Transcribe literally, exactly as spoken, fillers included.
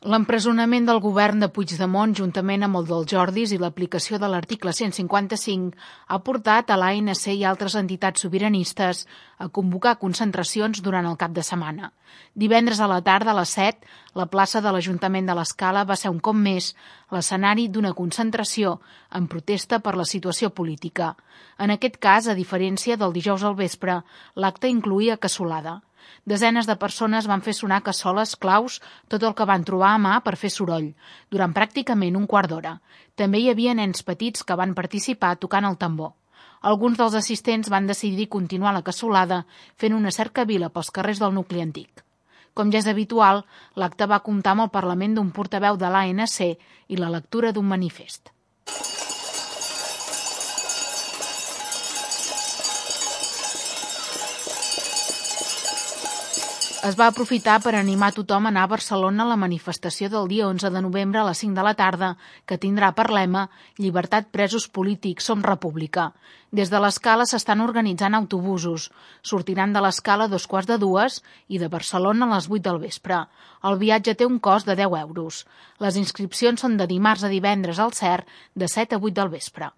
L'empresonament del govern de Puigdemont, juntament amb el dels Jordis i l'aplicació de l'article cent cinquanta-cinc, ha portat a l'A N C i altres entitats sobiranistes a convocar concentracions durant el cap de setmana. Divendres a la tarda, a les set, la plaça de l'Ajuntament de l'Escala va ser un cop més l'escenari d'una concentració en protesta per la situació política. En aquest cas, a diferència del dijous al vespre, l'acte incloïa cassolada. Desenes de persones van fer sonar cassoles, claus, tot el que van trobar a mà per fer soroll, durant pràcticament un quart d'hora. També hi havia nens petits que van participar tocant el tambor. Alguns dels assistents van decidir continuar la cassolada fent una cercavila pels carrers del nucli antic. Com ja és habitual, l'acte va comptar amb el parlament d'un portaveu de l'A N C i la lectura d'un manifest. Es va aprofitar per animar tothom a anar a Barcelona a la manifestació del dia onze de novembre a les cinc de la tarda, que tindrà per lema «Llibertat presos polítics, som república». Des de l'Escala s'estan organitzant autobusos. Sortiran de l'Escala a dos quarts de dues i de Barcelona a les vuit del vespre. El viatge té un cost de deu euros. Les inscripcions són de dimarts a divendres al C E R de set a vuit del vespre.